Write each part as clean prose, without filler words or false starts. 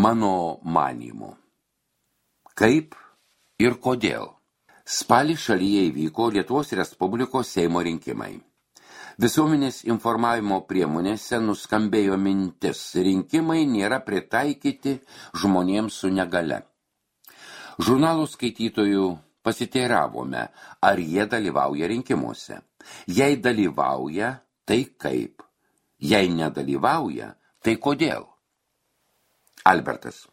Mano manymu. Kaip ir kodėl? Spalį šalyje įvyko Lietuvos Respublikos Seimo rinkimai. Visuomenės informavimo priemonėse nuskambėjo mintis, rinkimai nėra pritaikyti žmonėms su negale. Žurnalų skaitytojų pasiteiravome, ar jie dalyvauja rinkimuose. Jei dalyvauja, tai kaip? Jei nedalyvauja, tai kodėl? Albertas.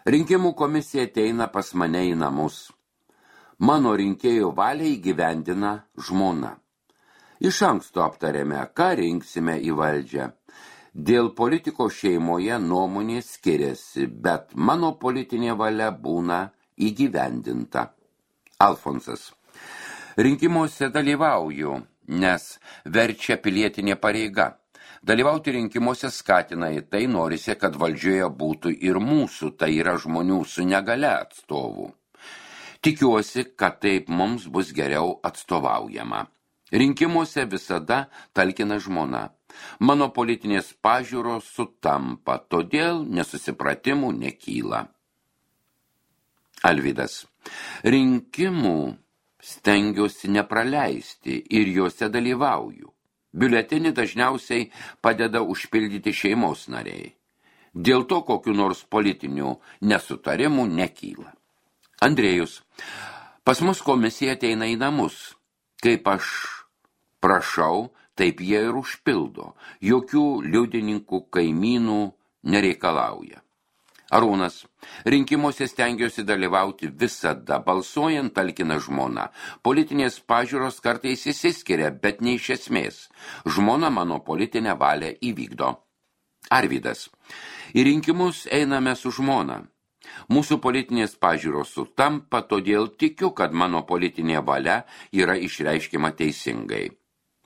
Rinkimų komisija ateina pas mane į namus. Mano rinkėjų valią įgyvendina žmona. Iš anksto aptarėme, ką rinksime į valdžią. Dėl politiko šeimoje nuomonė skiriasi, bet mano politinė valia būna įgyvendinta. Alfonsas. Rinkimuose dalyvauju, nes verčia pilietinė pareiga. Dalyvauti rinkimuose skatina į tai, norisi, kad valdžioje būtų ir mūsų, tai yra žmonių su negale atstovų. Tikiuosi, kad taip mums bus geriau atstovaujama. Rinkimuose visada talkina žmona. Mano politinės pažiūros sutampa, todėl nesusipratimų nekyla. Alvydas. Rinkimų stengiuosi nepraleisti ir juose dalyvauju. Biuletenį dažniausiai padeda užpildyti šeimos nariai. Dėl to kokių nors politinių nesutarimų nekyla. Andrėjus. Pas mus komisija ateina į namus. Kaip aš prašau, taip jie ir užpildo. Jokių liudininkų, kaimynų nereikalauja. Arūnas. Rinkimuose stengiuosi dalyvauti visada, balsuojant talkina žmona. Politinės pažiūros kartais išsiskiria, bet ne iš esmės. Žmona mano politinę valią įvykdo. Arvydas. Į rinkimus einame su žmona. Mūsų politinės pažiūros sutampa, todėl tikiu, kad mano politinė valia yra išreiškiama teisingai.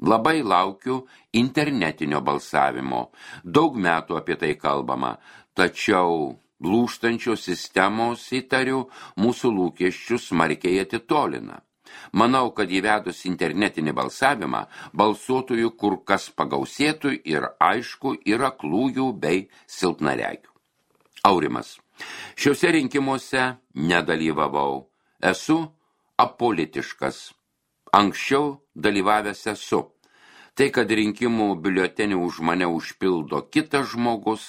Labai laukiu internetinio balsavimo. Daug metų apie tai kalbama, tačiau lūžtančios sistemos, įtariu, mūsų lūkesčius smarkiai atitolina. Manau, kad įvedus internetinį balsavimą, balsuotojų kur kas pagausėtų ir aišku yra aklųjų bei silpnaregių. Aurimas. Šiuose rinkimuose nedalyvavau. Esu apolitiškas. Anksčiau dalyvavęs esu. Tai, kad rinkimų biuletenį už mane užpildo kitas žmogus,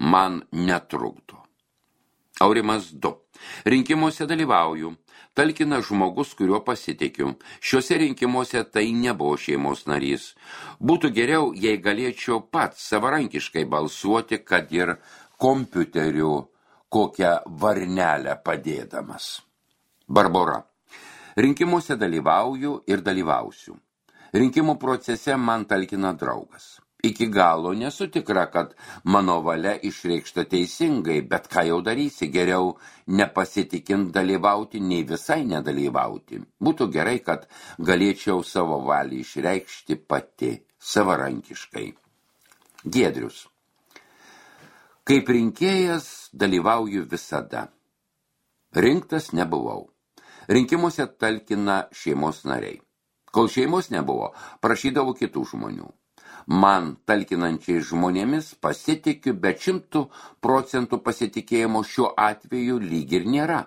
man netrukdo. Aurimas 2. Rinkimuose dalyvauju. Talkina žmogus, kuriuo pasitikiu. Šiuose rinkimuose tai nebuvo šeimos narys. Būtų geriau, jei galėčiau pats savarankiškai balsuoti, kad ir kompiuteriu kokią varnelę padėdamas. Barbora. Rinkimuose dalyvauju ir dalyvausiu. Rinkimų procese man talkina draugas. Iki galo nesu tikra, kad mano valia išreikšta teisingai, bet ką jau darysi, geriau nepasitikint dalyvauti, nei visai nedalyvauti. Būtų gerai, kad galėčiau savo valią išreikšti pati, savarankiškai. Giedrius. Kaip rinkėjas dalyvauju visada. Rinktas nebuvau. Rinkimuose talkina šeimos nariai. Kol šeimos nebuvo, prašydavau kitų žmonių. Man talkinančiai žmonėmis pasitikiu, bet 100% pasitikėjimo šiuo atveju lyg ir nėra.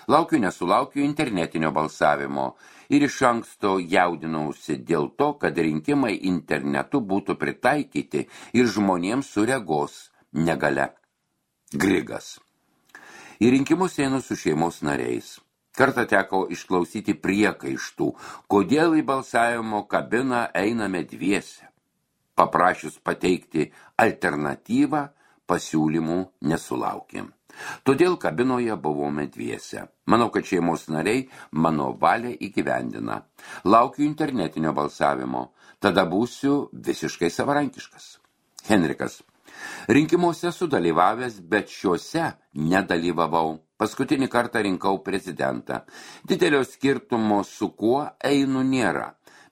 Laukiu nesulaukiu internetinio balsavimo ir iš anksto jaudinausi dėl to, kad rinkimai internetu būtų pritaikyti ir žmonėms su regos negale. Grigas. Į rinkimus einu su šeimos nariais. Kartą teko išklausyti priekaištų, kodėl į balsavimo kabiną einame dviese. Paprašius pateikti alternatyvą, pasiūlymų nesulaukėm. Todėl kabinoje buvome dviese. Manau, kad šeimos nariai mano valią įgyvendina. Laukiu internetinio balsavimo. Tada būsiu visiškai savarankiškas. Henrikas. Rinkimuose sudalyvavęs, bet šiuose nedalyvavau. Paskutinį kartą rinkau prezidentą. Didelio skirtumo su kuo einu nėra.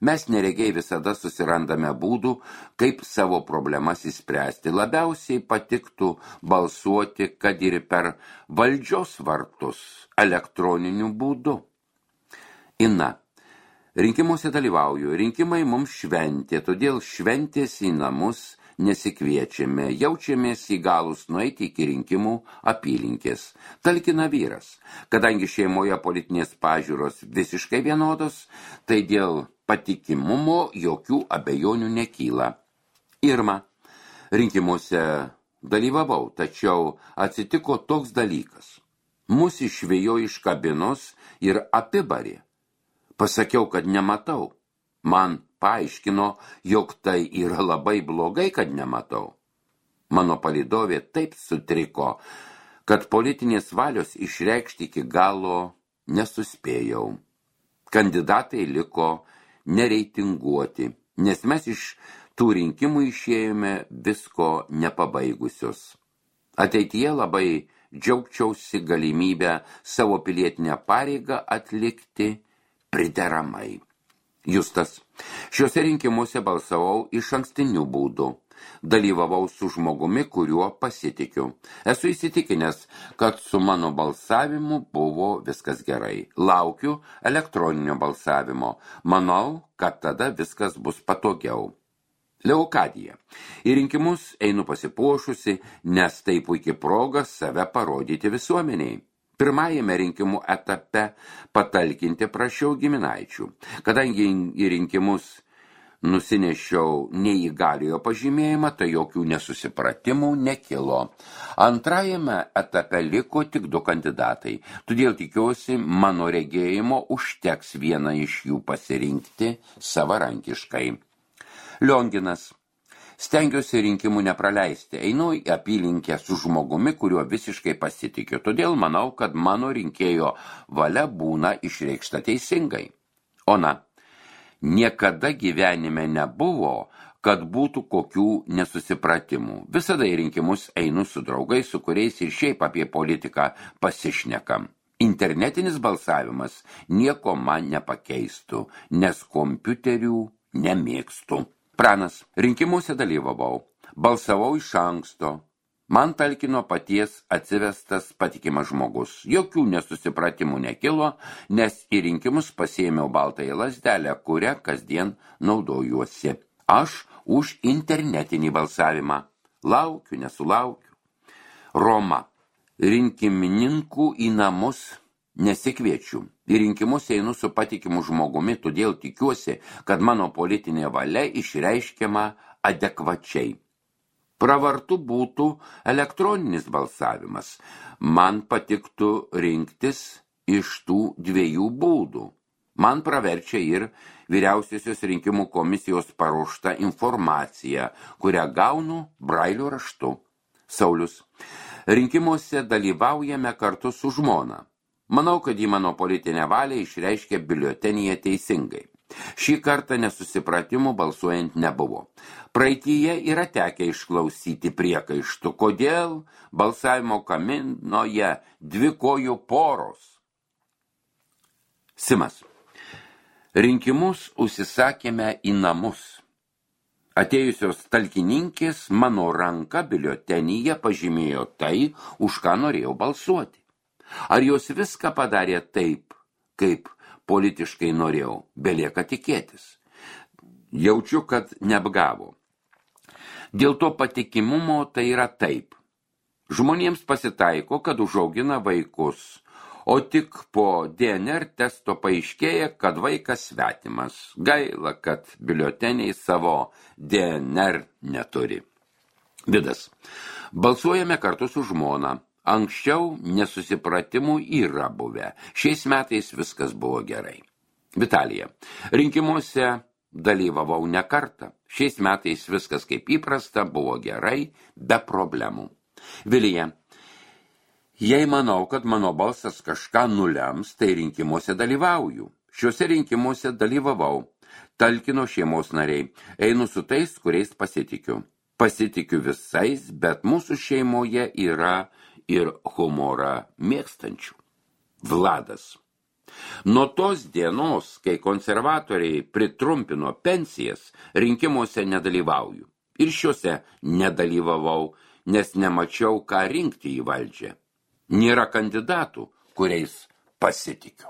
Mes neregiai visada susirandame būdų, kaip savo problemas įspręsti. Labiausiai patiktų balsuoti, kad ir per valdžios vartus elektroniniu būdu. Ina. Rinkimuose dalyvauju. Rinkimai mums šventė, todėl šventės į namus nesikviečiame, jaučiamės įgalus nueiti iki rinkimų apylinkės. Talkina vyras. Kadangi šeimoje politinės pažiūros visiškai vienodos, tai dėl patikimumo jokių abejonių nekyla. Irma, rinkimuose dalyvavau, tačiau atsitiko toks dalykas. Mus išvėjo iš kabinos ir apibarė. Pasakiau, kad nematau. Man paaiškino, jog tai yra labai blogai, kad nematau. Mano palydovė taip sutriko, kad politinės valios išreikšti iki galo nesuspėjau. Kandidatai liko nereitinguoti, nes mes iš tų rinkimų išėjome visko nepabaigusios. Ateityje labai džiaugčiausi galimybę savo pilietinę pareigą atlikti prideramai. Justas. Šiuose rinkimuose balsavau iš ankstinių būdų. Dalyvavau su žmogumi, kuriuo pasitikiu. Esu įsitikinęs, kad su mano balsavimu buvo viskas gerai. Laukiu elektroninio balsavimo. Manau, kad tada viskas bus patogiau. Leokadija. Į rinkimus einu pasipuošusi, nes tai puikiai proga save parodyti visuomeniai. Pirmajame rinkimų etape patalkinti prašiau giminaičių. Kadangi į rinkimus nusinešiau neįgaliojo pažymėjimą, tai jokių nesusipratimų nekilo. Antrajame etape liko tik 2 kandidatai, todėl tikiuosi, mano regėjimo užteks vieną iš jų pasirinkti savarankiškai. Lionginas. Stengiuosi rinkimų nepraleisti, einu į apylinkę su žmogumi, kuriuo visiškai pasitikiu, todėl manau, kad mano rinkėjo valia būna išreikšta teisingai. Ona, niekada gyvenime nebuvo, kad būtų kokių nesusipratimų. Visada į rinkimus einu su draugais, su kuriais ir šiaip apie politiką pasišnekam. Internetinis balsavimas nieko man nepakeistų, nes kompiuterių nemėgstu. Pranas, rinkimuose dalyvavau, balsavau iš anksto. Man talkino paties atsivestas patikimas žmogus. Jokių nesusipratimų nekilo, nes į rinkimus pasiėmiau baltąją lazdelę, kurią kasdien naudojuosi. Aš už internetinį balsavimą. Laukiu, nesulaukiu. Roma, rinkimininkų į namus nesikviečiu. Į rinkimus einu su patikimu žmogumi, todėl tikiuosi, kad mano politinė valia išreiškiama adekvačiai. Pravartu būtų elektroninis balsavimas. Man patiktų rinktis iš tų 2 būdų. Man praverčia ir Vyriausiosios rinkimų komisijos paruošta informacija, kurią gaunu brailio raštu. Saulius. Rinkimuose dalyvaujame kartu su žmona. Manau, kad į mano politinę valią išreiškė biuletenyje teisingai. Šį kartą nesusipratimų balsuojant nebuvo. Praeityje yra tekę išklausyti priekaištų, kodėl balsavimo kaminoje 2 kojų poros. Simas. Rinkimus užsisakėme į namus. Atėjusios talkininkės mano ranka biuletenyje pažymėjo tai, už ką norėjau balsuoti. Ar jos viską padarė taip, kaip politiškai norėjau, belieka tikėtis. Jaučiu, kad neapgavo. Dėl to patikimumo tai yra taip. Žmonėms pasitaiko, kad užaugina vaikus, o tik po DNR testo paaiškėja, kad vaikas svetimas. Gaila, kad biuleteniai savo DNR neturi. Vidas. Balsuojame kartu su žmona. Anksčiau nesusipratimų yra buvę. Šiais metais viskas buvo gerai. Vitalija. Rinkimuose dalyvavau ne kartą. Šiais metais viskas kaip įprasta, buvo gerai, be problemų. Vilija. Jei manau, kad mano balsas kažką nulems, tai rinkimuose dalyvauju. Šiuose rinkimuose dalyvavau. Talkino šeimos nariai. Einu su tais, kuriais pasitikiu. Pasitikiu visais, bet mūsų šeimoje yra ir humorą mėgstančių. Vladas. Nuo tos dienos, kai konservatoriai pritrumpino pensijas, rinkimuose nedalyvauju. Ir šiuose nedalyvavau, nes nemačiau, ką rinkti į valdžią. Nėra kandidatų, kuriais pasitikiu.